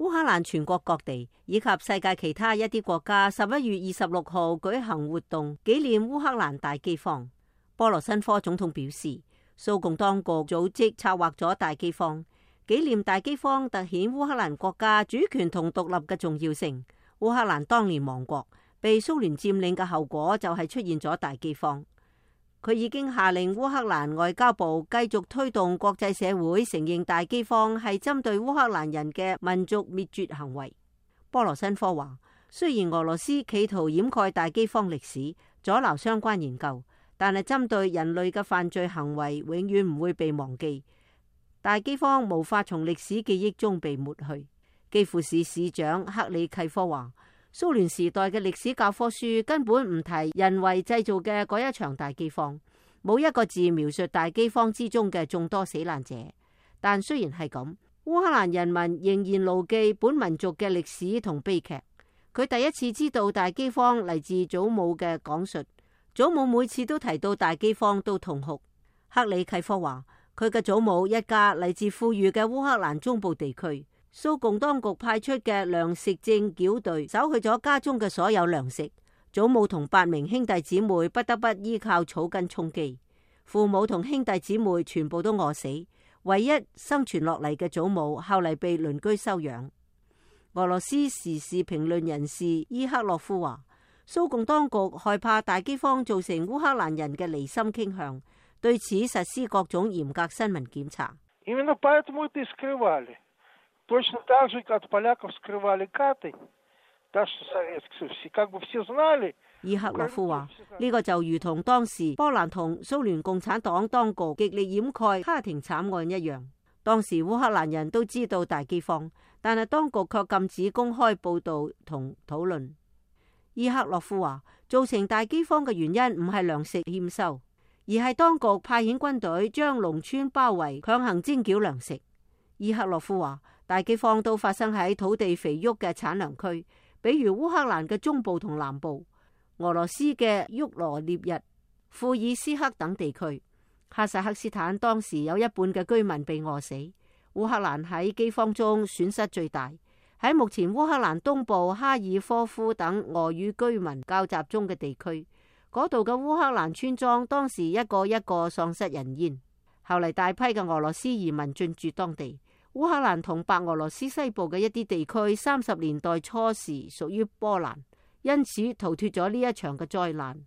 烏克蘭全國各地以及世界其他一啲國家11月26號舉行活動紀念烏克蘭大饑荒。波羅申科總統表示，蘇共當局組織策劃咗大饑荒，紀念大饑荒凸顯烏克蘭國家主權同獨立嘅重要性。烏克蘭當年亡國，被蘇聯佔領嘅後果就係出現咗大饑荒。佢已經下令烏克蘭外交部繼續推動國際社會承認大饑荒係針對烏克蘭人嘅民族滅絕行為。波羅申科話，雖然俄羅斯企圖掩蓋大饑荒歷史，阻撓相關研究，但係針對人類嘅犯罪行為永遠唔會被忘記。大饑荒無法從歷史記憶中被抹去。基輔市市長克里契科話，蘇聯時代嘅歷史教科書根本唔提人為製造嘅嗰一場大饑荒，冇一個字描述大饑荒之中嘅眾多死難者。但雖然係咁，烏克蘭人民仍然牢記本民族嘅歷史同悲劇。佢第一次知道大饑荒嚟自祖母嘅講述，祖母每次都提到大饑荒都痛哭。克里契科話，佢嘅祖母一家嚟自富裕嘅烏克蘭中部地區。蘇共當局派出嘅糧食證繳隊搜去咗家中嘅所有糧食，祖母同8名兄弟姊妹不得不依靠草根充飢，父母同兄弟姊妹全部都餓死，唯一生存落嚟嘅祖母後嚟被鄰居收養。俄羅斯時事評論人士伊克洛夫話，蘇共當局害怕大饑荒造成烏克蘭人嘅離心傾向，對此實施各種嚴格新聞檢查。Точно так же, как поляков скрывали каты, так что советские все как бы все знали。伊克洛夫話，呢個就如同當時波蘭同蘇聯共產黨當局極力掩蓋卡廷慘案一樣。當時烏克蘭人都知道大饑荒，但係當局卻禁止公開報道同討論。伊克洛夫話，造成大饑荒嘅原因唔係糧食欠收，而係當局派遣軍隊將農村包圍，強行徵繳糧食。伊克洛夫話，大饑荒都發生喺土地肥沃嘅產糧區，比如烏克蘭嘅中部同南部、俄羅斯嘅沃羅涅日、庫爾斯克等地區。哈薩克斯坦當時有一半嘅居民被餓死。烏克蘭喺饑荒中損失最大。喺目前烏克蘭東部哈爾科夫等俄語居民較集中嘅地區，嗰度嘅烏克蘭村莊當時一個一個喪失人煙。後嚟大批嘅俄羅斯移民進駐當地。烏克蘭同白俄羅斯西部嘅一啲地區30年代初時屬於波蘭，因此逃脫咗呢一場嘅災難。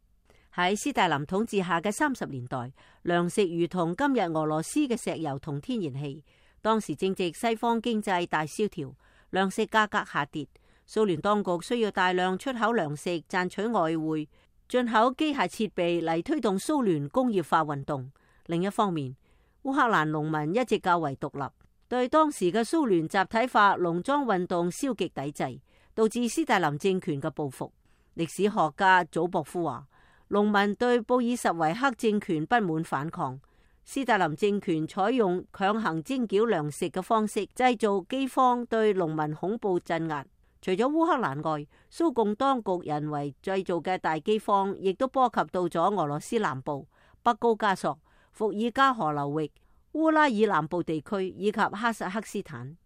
喺斯大林統治下嘅30年代，糧食如同今日俄羅斯嘅石油同天然氣。當時正值西方經濟大蕭條，糧食價格下跌，蘇聯當局需要大量出口糧食賺取外匯，進口機械設備嚟推動蘇聯工業化運動。另一方面，烏克蘭農民一直較為獨立，對當時嘅蘇聯集體化農莊運動消極抵制，導致斯大林政權嘅報復。歷史學家祖博夫話，農民對布爾什維克政權不滿反抗，斯大林政權採用強行徵繳糧食嘅方式，製造饑荒，對農民恐怖鎮壓。除咗烏克蘭外，蘇共當局人為製造嘅大饑荒，亦都波及到咗俄羅斯南部、北高加索、伏爾加河流域、烏拉爾南部地區以及哈薩克斯坦。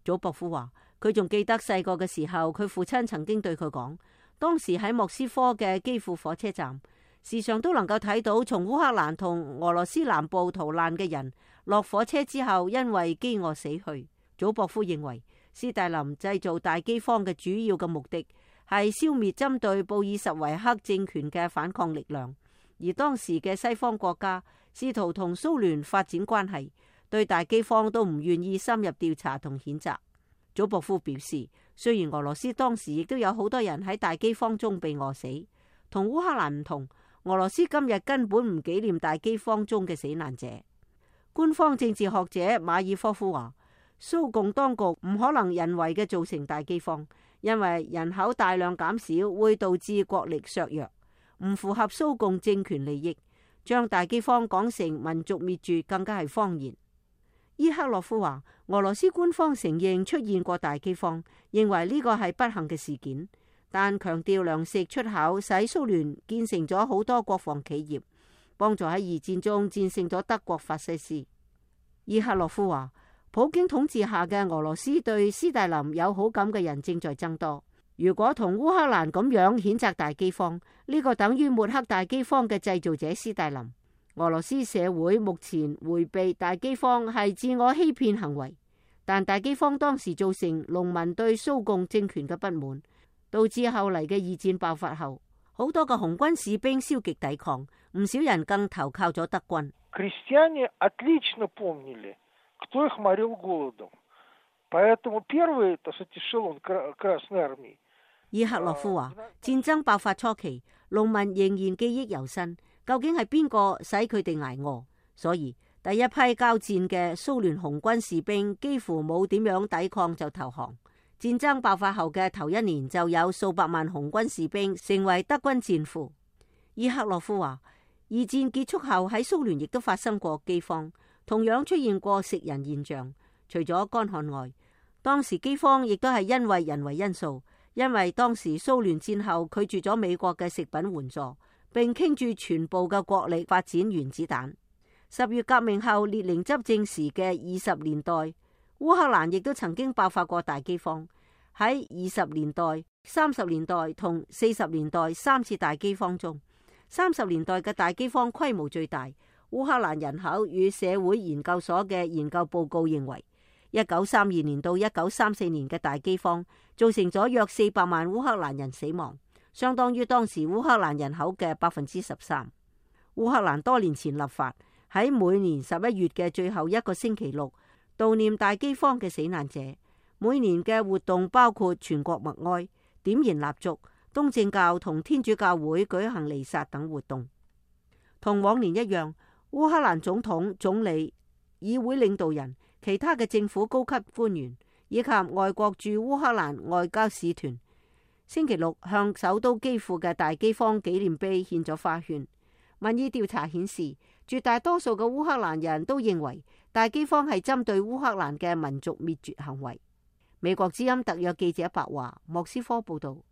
祖博夫話，佢仲記得細個嘅時候，佢父親曾經對佢講，當時喺莫斯科嘅基輔火車站，時常都能夠睇到從烏克蘭同俄羅斯南部逃難嘅人落火車之後因為飢餓死去。祖博夫認為，斯大林製造大饑荒嘅主要嘅目的係消滅針對布爾什維克政權嘅反抗力量，而當時嘅西方國家試圖同蘇聯發展關係，對大饑荒都唔願意深入調查同譴責。祖博夫表示，雖然俄羅斯當時亦都有好多人喺大饑荒中被餓死，同烏克蘭唔同，俄羅斯今日根本唔紀念大饑荒中嘅死難者。官方政治學者馬爾科夫話，蘇共當局唔可能人為嘅造成大饑荒，因為人口大量減少會導致國力削弱，唔符合蘇共政權利益。將大饑荒講成民族滅絕更加係謊言。伊克洛夫話，俄羅斯官方承認出現過大饑荒，認為呢個係不幸嘅事件，但強調糧食出口使蘇聯建成咗好多國防企業，幫助喺二戰中戰勝咗德國法西斯。伊克洛夫話，普京統治下嘅俄羅斯對斯大林有好感嘅人正在增多。如果同烏克蘭咁樣譴責大饑荒，呢個等於抹黑大饑荒嘅製造者斯大林。俄羅斯社會目前迴避大饑荒係自我欺騙行為，但大饑荒當時造成農民對蘇共政權嘅不滿，導致後嚟嘅二戰爆發後，好多嘅紅軍士兵消極抵抗，唔少人更投靠咗德軍。Крестьяне отлично помнили, кто их морил голодом, поэтому первый, так сказать, эшелон Красной Армии。伊克洛夫話：戰爭爆發初期，農民仍然記憶猶新，究竟係邊個使佢哋捱餓？所以第一批交戰嘅蘇聯紅軍士兵幾乎冇點樣抵抗就投降。戰爭爆發後嘅頭一年就有數百萬紅軍士兵成為德軍戰俘。伊克洛夫話：二戰結束後喺蘇聯亦都發生過饑荒，同樣出現過食人現象。除咗乾旱外，當時饑荒亦都係因為人為因素。因為當時蘇聯戰後拒絕咗美國嘅食品援助，並傾注全部嘅國力發展原子彈。10月革命後列寧執政時嘅20年代，烏克蘭亦都曾經爆發過大饑荒。喺20年代、30年代同40年代3次大饑荒中，30年代嘅大饑荒規模最大。烏克蘭人口與社會研究所嘅研究報告認為，1932年到1934年嘅大饑荒造成咗約400萬烏克蘭人死亡，相當於當時烏克蘭人口嘅13%。烏克蘭多年前立法，喺每年11月嘅最後一個星期六悼念大饑荒嘅死難者。每年嘅活動包括全國默哀、點燃蠟燭、東正教同天主教會舉行彌撒等活動。同往年一樣，烏克蘭總統、總理、議會領導人、其他嘅政府高級官員以及外國駐烏克蘭外交使團，星期六向首都基輔嘅大饑荒紀念碑獻咗花圈。民意調查顯示，絕大多數嘅烏克蘭人都認為大饑荒係針對烏克蘭嘅民族滅絕行為。美國之音特約記者白華，莫斯科報道。